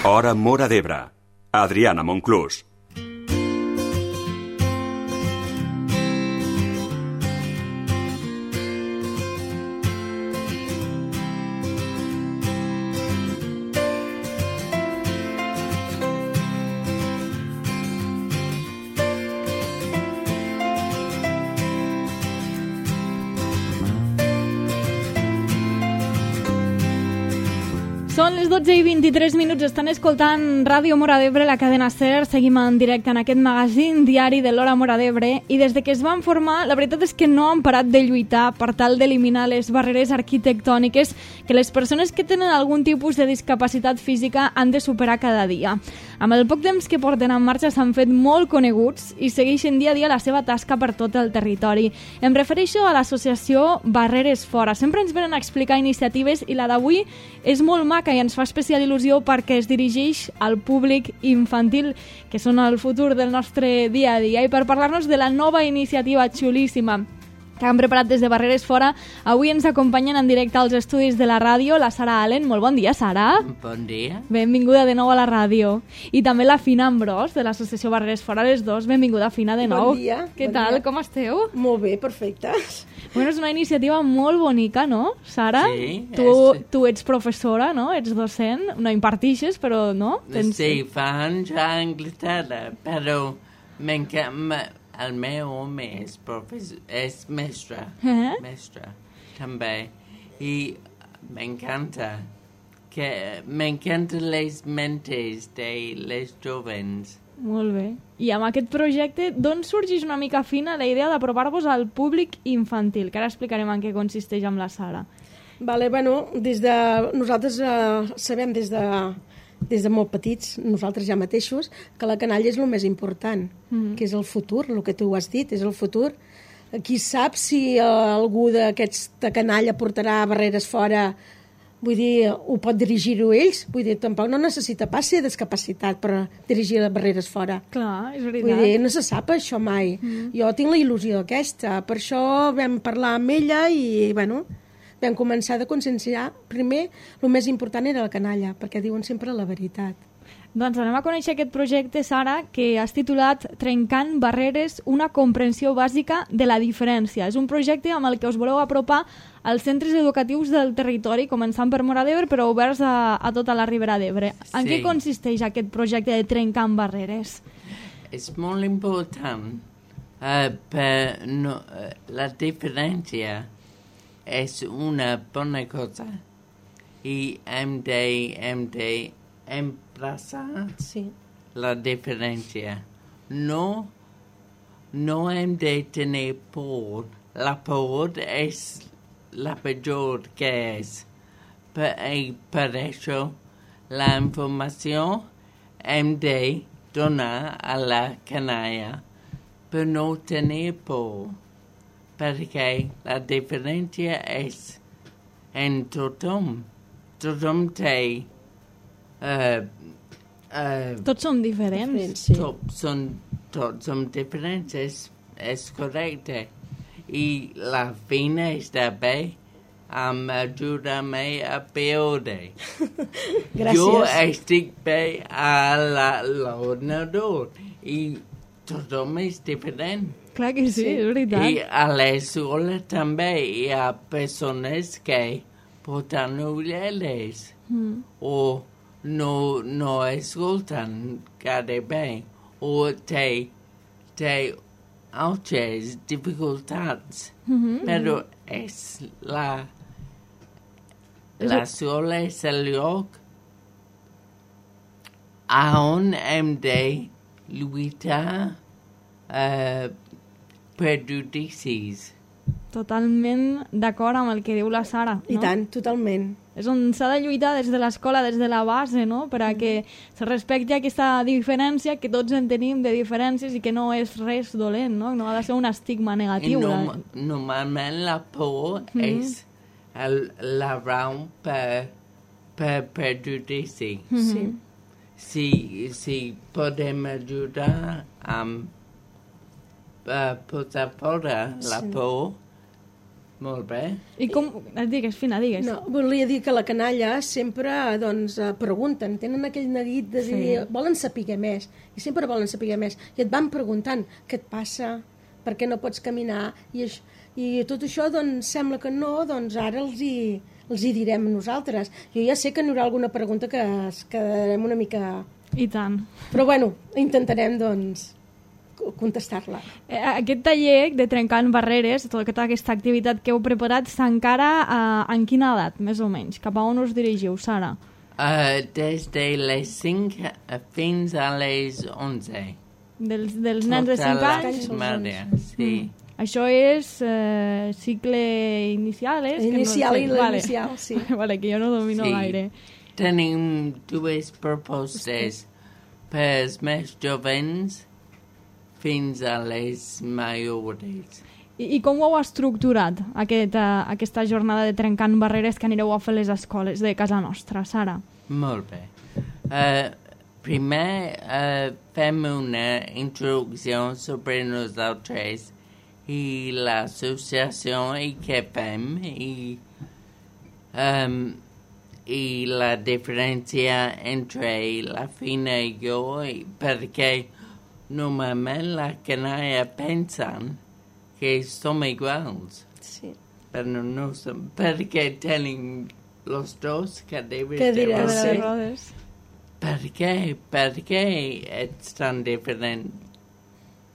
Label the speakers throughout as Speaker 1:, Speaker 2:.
Speaker 1: Hora Móra d'Ebre. Adriana Monclús.
Speaker 2: Són les 12:23, estan escoltant Ràdio Móra d'Ebre, la cadena SER. Seguim en directe en aquest magazín diari de l'Hora Móra d'Ebre i des de que es van formar, la veritat és que no han parat de lluitar per tal d'eliminar les barreres arquitectòniques que les persones que tenen algun tipus de discapacitat física han de superar cada dia. Amb el poc temps que porten en marxa s'han fet molt coneguts i segueixen dia a dia la seva tasca per tot el territori. Em refereixo a l'associació Barreres Fora. Sempre ens venen a explicar iniciatives i la d'avui és molt maca i ens fa especial il·lusió perquè es dirigeix al públic infantil, que són el futur del nostre dia a dia. I per parlar-nos de la nova iniciativa xulíssima que han preparat des de Barreres Fora, avui ens acompanyen en directe als estudis de la ràdio la Sara Allen. Molt bon dia, Sara.
Speaker 3: Bon dia.
Speaker 2: Benvinguda de nou a la ràdio. I també la Fina Ambrós, de l'associació Barreres Fora, les dos. Benvinguda, Fina, de nou.
Speaker 4: Bon dia.
Speaker 2: Què tal? Com esteu?
Speaker 4: Molt bé, perfectes.
Speaker 2: Bueno, és una iniciativa molt bonica, no, Sara?
Speaker 3: Sí.
Speaker 2: Tu ets professora, no? Ets docent, no impartixes, però no?
Speaker 3: Sí, fa anys a Anglaterra, però el meu home és mestre, mestre també, i m'encanta les mentes de les jovens.
Speaker 2: Molt bé. I amb aquest projecte, d'on sorgeix una mica, Fina, la idea d'aprovar-vos al públic infantil? Que ara explicarem en què consisteix amb la Sara.
Speaker 4: Vale, bueno, nosaltres sabem des de molt petits, nosaltres ja mateixos, que la canalla és el més important, que és el futur, el que tu has dit, és el futur. Qui sap si algú d'aquesta canalla portarà Barreres Fora, vull dir, ho pot dirigir-ho ells, vull dir, tampoc no necessita pas ser discapacitat per dirigir les Barreres Fora.
Speaker 2: Clar, és veritat.
Speaker 4: Vull dir, no se sap això mai. Jo tinc la il·lusió aquesta, per això vam parlar amb ella i, bueno, vam començar a conscienciar. Primer, el més important era la canalla, perquè diuen sempre la veritat.
Speaker 2: Doncs anem a conèixer aquest projecte, Sara, que has titulat Trencant barreres, una comprensió bàsica de la diferència. És un projecte amb el que us voleu apropar als centres educatius del territori, començant per Móra d'Ebre, però oberts a tota la Ribera d'Ebre. En què consisteix aquest projecte de Trencant barreres?
Speaker 3: És molt important, la diferència és una bona cosa i hem de emplaçar la diferència. No hem de tenir por. La por és la pitjor que és. Per això la informació hem de donar a la canalla per no tenir por. Perquè la diferència és en tothom. Tothom té...
Speaker 2: Tots som diferents.
Speaker 4: Sí.
Speaker 3: Tots som diferents, és correcte. I la Fina està bé amb ajudar-me a veure.
Speaker 4: Gràcies.
Speaker 3: Jo estic bé a l'ordinador i tothom és diferent.
Speaker 2: Clar que sí, és veritat.
Speaker 3: I a l'escola també hi ha persones que porten ulleres o no escolten gaire bé o té altres dificultats. Però és l'escola és el lloc on hem de lluitar prejudicis.
Speaker 2: Totalment d'acord amb el que diu la Sara. No?
Speaker 4: I tant, totalment.
Speaker 2: És on s'ha de lluitar des de l'escola, des de la base, no? Per a que se respecti aquesta diferència, que tots en tenim de diferències i que no és res dolent, no? No ha de ser un estigma negatiu.
Speaker 3: Normalment la por és la raó per prejudici. Si podem ajudar amb posar fora la por, Molt bé.
Speaker 2: I com... Digues, Fina, digues.
Speaker 4: No, volia dir que la canalla sempre doncs, pregunten, tenen aquell neguit de dir, volen saber més, i sempre volen saber més, i et van preguntant què et passa, per què no pots caminar, i tot això doncs, sembla que no, doncs ara els hi direm nosaltres. Jo ja sé que n'hi haurà alguna pregunta que es quedarem una mica...
Speaker 2: I tant.
Speaker 4: Però bueno, intentarem doncs contestar-la.
Speaker 2: Aquest taller de Trencant Barreres, tota aquesta activitat que heu preparat, s'encara en quina edat, més o menys? Cap a on us dirigiu, Sara?
Speaker 3: Des de les 5 fins a les 11.
Speaker 2: Dels nens de 5 anys?
Speaker 3: Maria, sí.
Speaker 2: Això és cicle inicial, és?
Speaker 4: Inicial
Speaker 2: que no sé.
Speaker 4: i l'inicial, sí.
Speaker 2: Vale, que jo no domino gaire.
Speaker 3: Tenim dues propostes pels més jovens fins a les majors.
Speaker 2: I com ho heu estructurat, aquesta jornada de Trencant Barreres que anireu a fer a les escoles de casa nostra, Sara?
Speaker 3: Molt bé. Primer fem una introducció sobre nosaltres i l'associació i què fem i la diferència entre la Fina i jo, perquè normalment la canalla pensen que som iguals.
Speaker 4: Sí.
Speaker 3: Però no som, perquè tenim los dos cadires
Speaker 4: Cadires,
Speaker 3: de rodes.
Speaker 4: sí.
Speaker 2: Rodes.
Speaker 3: Per què ets tan diferent?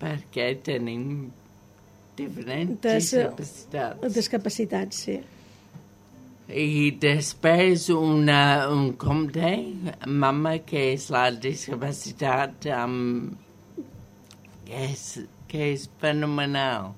Speaker 3: Perquè tenim diferents discapacitats.
Speaker 4: Discapacitats, sí.
Speaker 3: I després un compte, mama, que és la discapacitat que és fenomenal.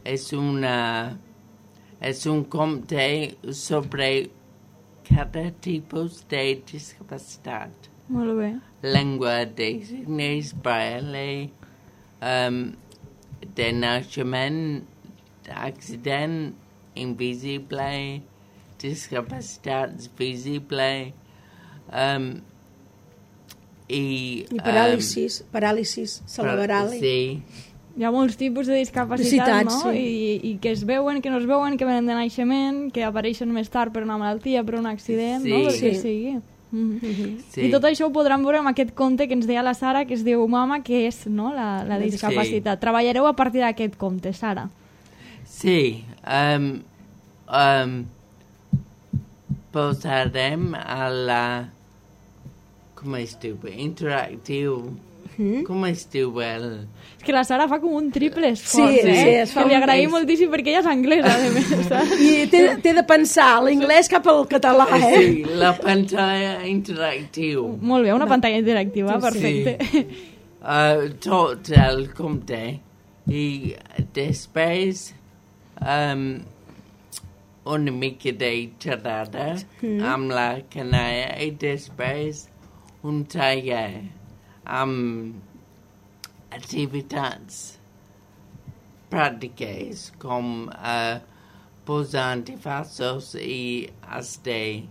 Speaker 3: És un compte sobre cada tipus de discapacitat.
Speaker 2: Molt bé.
Speaker 3: Llengua de signes, braille, de naixement, accident, invisible, discapacitats visible, i
Speaker 4: paràlisis cerebral.
Speaker 3: Sí.
Speaker 2: Hi ha molts tipus de discapacitat, no?
Speaker 4: Sí.
Speaker 2: I que es veuen, que no es veuen, que venen de naixement, que apareixen més tard per una malaltia, per un accident,
Speaker 3: Sí.
Speaker 2: no? Pel que
Speaker 4: Sí.
Speaker 2: sigui.
Speaker 3: Sí.
Speaker 2: I tot això ho podran veure amb aquest conte que ens deia la Sara, que es diu Mama, que és, no?, la discapacitat. Treballareu a partir d'aquest conte, Sara.
Speaker 3: Sí. Posarem a la... Com es diu? Interactiu. Com es diu el...
Speaker 2: És que la Sara fa com un triple esforç,
Speaker 4: Sí, es fa
Speaker 2: que li
Speaker 4: un-
Speaker 2: agraïm moltíssim perquè ella és anglesa, a més, saps?
Speaker 4: I té de pensar l'inglès cap al català,
Speaker 3: Sí, la pantalla interactiu.
Speaker 2: Molt bé, una pantalla interactiva,
Speaker 4: Sí.
Speaker 2: perfecte.
Speaker 3: Tot el compte. I després una mica de xerrada amb la canalla i després un taller amb activitats pràctiques com posar antifassos i has de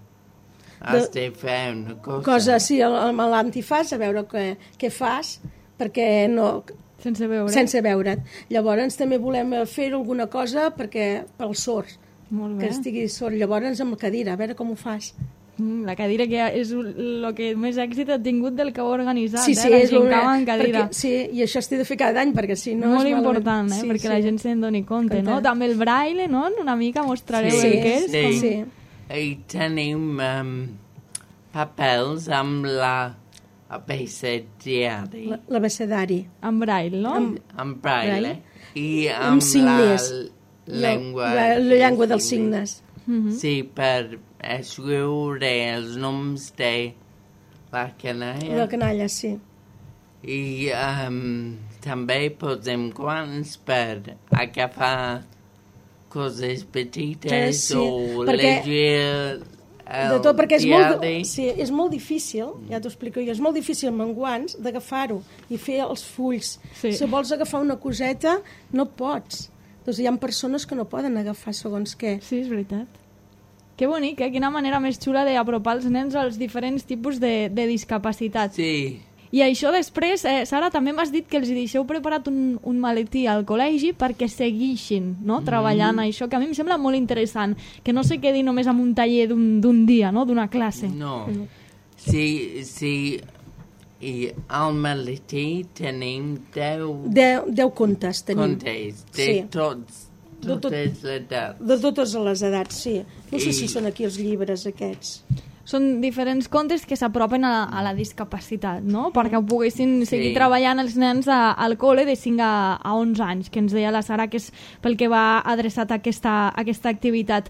Speaker 3: fer una cosa.
Speaker 4: sí, amb l'antifàs, a veure què fas, perquè no...
Speaker 2: Sense veure.
Speaker 4: Sense veure't. Llavors també volem fer alguna cosa pels sords,
Speaker 2: Molt
Speaker 4: que
Speaker 2: bé.
Speaker 4: estigui sord. Llavors amb la cadira, a veure com ho fas.
Speaker 2: La cadira que és el que més èxit ha tingut del que heu organitzat,
Speaker 4: Sí,
Speaker 2: la
Speaker 4: és
Speaker 2: gincama en cadira.
Speaker 4: sí, i això s'ha de fer cada any, perquè si no...
Speaker 2: Molt
Speaker 4: és malament.
Speaker 2: important, perquè la gent se'n doni compte, no?
Speaker 4: Compte.
Speaker 2: També el braille, no? Una mica mostrareu
Speaker 3: Sí,
Speaker 2: el que és.
Speaker 3: sí.
Speaker 4: Sí.
Speaker 3: I tenim papels amb l'abecediari,
Speaker 4: L'abecedari.
Speaker 2: En braille, no?
Speaker 3: amb braille, i
Speaker 4: Amb
Speaker 3: amb
Speaker 4: signes.
Speaker 3: la llengua.
Speaker 4: La llengua dels signes.
Speaker 3: Sí, per escriure els noms de la canalla.
Speaker 4: La canalla, sí.
Speaker 3: I també posem guants per agafar coses petites
Speaker 4: Sí,
Speaker 3: o
Speaker 4: perquè-
Speaker 3: llegir
Speaker 4: De tot, perquè
Speaker 3: diari.
Speaker 4: és molt difícil, ja t'ho explico jo, és molt difícil amb guants d'agafar-ho i fer els fulls.
Speaker 2: Sí.
Speaker 4: Si vols agafar una coseta, no pots. Doncs hi ha persones que no poden agafar segons què.
Speaker 2: Sí, és veritat. Que bonic, Quina manera més xula d'apropar els nens als diferents tipus de discapacitats.
Speaker 3: Sí,
Speaker 2: I això després, Sara, també m'has dit que els hi deixeu preparat un maletí al col·legi perquè segueixin, no?, treballant això, que a mi em sembla molt interessant, que no se quedi només amb un taller d'un dia, no?, d'una classe.
Speaker 3: No. Sí, i al maletí tenim
Speaker 4: 10 contes tenim.
Speaker 3: contes de totes les edats.
Speaker 4: De totes les edats, sí. No sé si són aquí els llibres aquests.
Speaker 2: Són diferents contes que s'apropen a la discapacitat, no? Perquè ho poguessin seguir treballant els nens al col·le de 5 a 11 anys, que ens deia la Sara que és pel que va adreçat a aquesta activitat.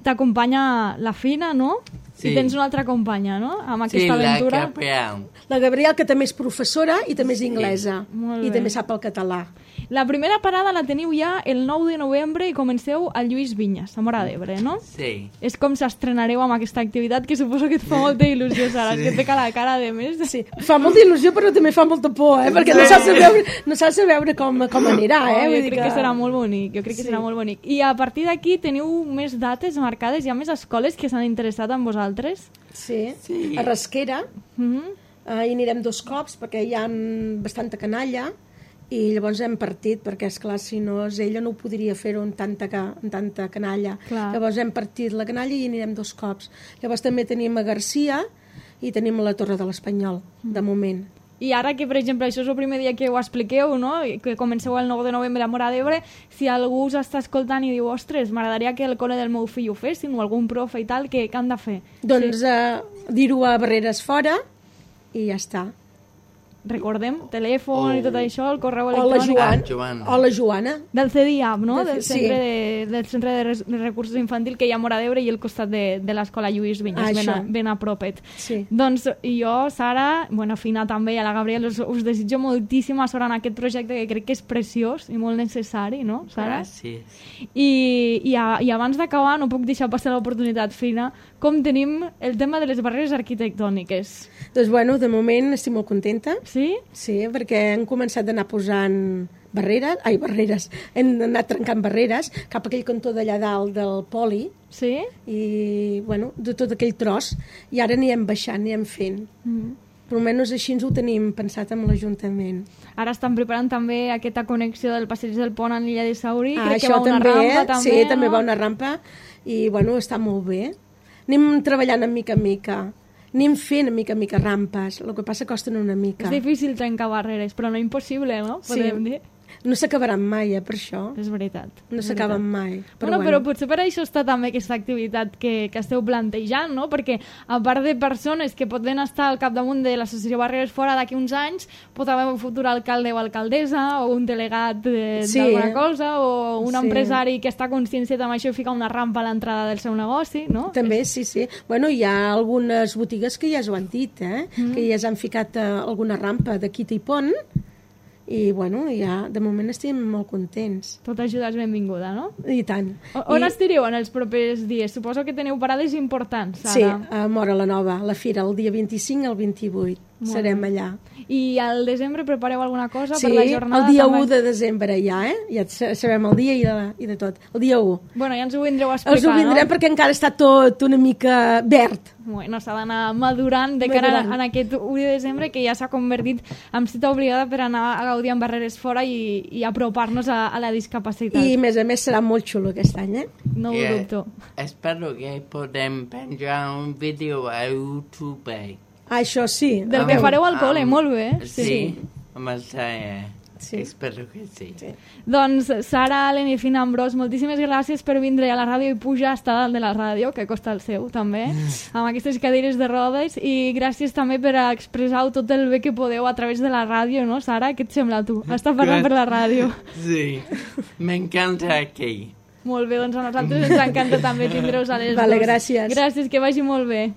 Speaker 2: T'acompanya la Fina, no?
Speaker 3: Sí.
Speaker 2: I tens una altra companya, no?, amb aquesta aventura.
Speaker 3: La Gabriel.
Speaker 4: La Gabriel, que també és professora i també és inglesa.
Speaker 2: Molt
Speaker 4: I
Speaker 2: bé.
Speaker 4: també sap el català.
Speaker 2: La primera parada la teniu ja el 9 de novembre i comenceu al Lluís Vinyes, a Móra d'Ebre, no?
Speaker 3: Sí.
Speaker 2: És com s'estrenareu amb aquesta activitat, que suposo que et fa molta il·lusió, Sara, que et té la cara de més.
Speaker 4: Sí, fa molta il·lusió, però també fa molta por, perquè no saps veure com anirà,
Speaker 2: Jo crec que serà molt bonic, serà molt bonic. I a partir d'aquí teniu més dates marcades, hi ha més escoles que s'han interessat en vosaltres?
Speaker 4: Sí. A Rasquera hi anirem 2 cops perquè hi ha bastanta canalla i llavors hem partit perquè, esclar, si no ella no ho podria fer-ho amb tanta canalla.
Speaker 2: Clar.
Speaker 4: Llavors hem partit la canalla i anirem 2 cops. Llavors també tenim a Garcia i tenim a la Torre de l'Espanyol, de moment.
Speaker 2: I ara que, per exemple, això és el primer dia que ho expliqueu, no?, que comenceu el 9 de novembre a Móra d'Ebre, si algú us està escoltant i diu, ostres, m'agradaria que el col·le del meu fill ho fessin, o algun profe i tal, què han de fer?
Speaker 4: Doncs dir-ho a Barreres Fora i ja està.
Speaker 2: Recordem, telèfon i tot això, el correu electrònic.
Speaker 4: O la Joana.
Speaker 2: Del CDIAP, no?, del Centre de Recursos Infantil que hi ha a Móra d'Ebre i al costat de l'escola Lluís Vinyes, ben a propet.
Speaker 4: Sí.
Speaker 2: Doncs jo, Sara, Fina també, i a la Gabriel, us desitjo moltíssima sort en aquest projecte que crec que és preciós i molt necessari, no, Sara?
Speaker 3: Gràcies.
Speaker 2: I abans d'acabar, no puc deixar passar l'oportunitat, Fina, com tenim el tema de les barreres arquitectòniques?
Speaker 4: Doncs, de moment estic molt contenta.
Speaker 2: Sí?
Speaker 4: Sí, perquè hem començat d'anar posant barreres, hem anat trencant barreres cap a aquell cantó d'allà dalt del poli.
Speaker 2: Sí?
Speaker 4: I, de tot aquell tros. I ara anirem baixant, anirem fent. Però almenys així ens ho tenim pensat amb l'Ajuntament.
Speaker 2: Ara estan preparant també aquesta connexió del passeig del pont en l'illa de Saurí. Crec
Speaker 4: això
Speaker 2: que va una rampa també.
Speaker 4: Sí, també va una rampa i, està molt bé. Anem treballant mica en mica. Anem fent mica en mica rampes, el que passa que costen una mica.
Speaker 2: És difícil trencar barreres, però no impossible, no? Podem dir.
Speaker 4: No s'acabaran mai, per això.
Speaker 2: És veritat.
Speaker 4: No s'acaben mai.
Speaker 2: Però potser per això està també aquesta activitat que esteu plantejant, no? Perquè a part de persones que poden estar al capdamunt de l'associació Barreres Fora d'aquí uns anys, pot haver un futur alcalde o alcaldessa, o un delegat d'alguna cosa, o un empresari que està conscienciat amb això i fica una rampa a l'entrada del seu negoci, no?
Speaker 4: També, sí. Hi ha algunes botigues que ja s'ho han dit, que ja s'han ficat alguna rampa de quita i pont, i ja de moment estem molt contents.
Speaker 2: Tota ajuda és benvinguda, no?
Speaker 4: I tant.
Speaker 2: On estireu en els propers dies? Suposo que teniu parades importants, Sara.
Speaker 4: Sí, a Móra la Nova, la fira, el dia 25 al 28. Serem allà.
Speaker 2: I al desembre prepareu alguna cosa per la jornada?
Speaker 4: Sí, el dia 1 de desembre ja, ja sabem el dia i de tot. El dia 1.
Speaker 2: Ja ens ho vindreu a explicar,
Speaker 4: us ho vindrem, perquè encara està tot una mica verd.
Speaker 2: S'ha d'anar madurant de cara a aquest 1 de desembre, que ja s'ha convertit en cita obligada per anar a gaudir amb Barreres Fora i apropar-nos a la discapacitat.
Speaker 4: I, a més, serà molt xulo aquest any,
Speaker 2: No ho dubto.
Speaker 3: Espero que podem penjar un vídeo a YouTube.
Speaker 4: Això sí.
Speaker 2: Del que fareu al col·le, molt bé.
Speaker 3: Sí, amb el Saia. Sí. Espero que sí.
Speaker 2: Doncs, Sara, Allen i Fina Ambrós, moltíssimes gràcies per vindre a la ràdio i pujar a estar dalt de la ràdio, que costa el seu, també, amb aquestes cadires de rodes, i gràcies també per expressar tot el bé que podeu a través de la ràdio, no, Sara? Què et sembla, tu? Estar parlant per la ràdio.
Speaker 3: Sí, m'encanta aquí.
Speaker 2: Molt bé, doncs a nosaltres ens encanta també tindre-us a les dos.
Speaker 4: Gràcies.
Speaker 2: Gràcies, que vagi molt bé.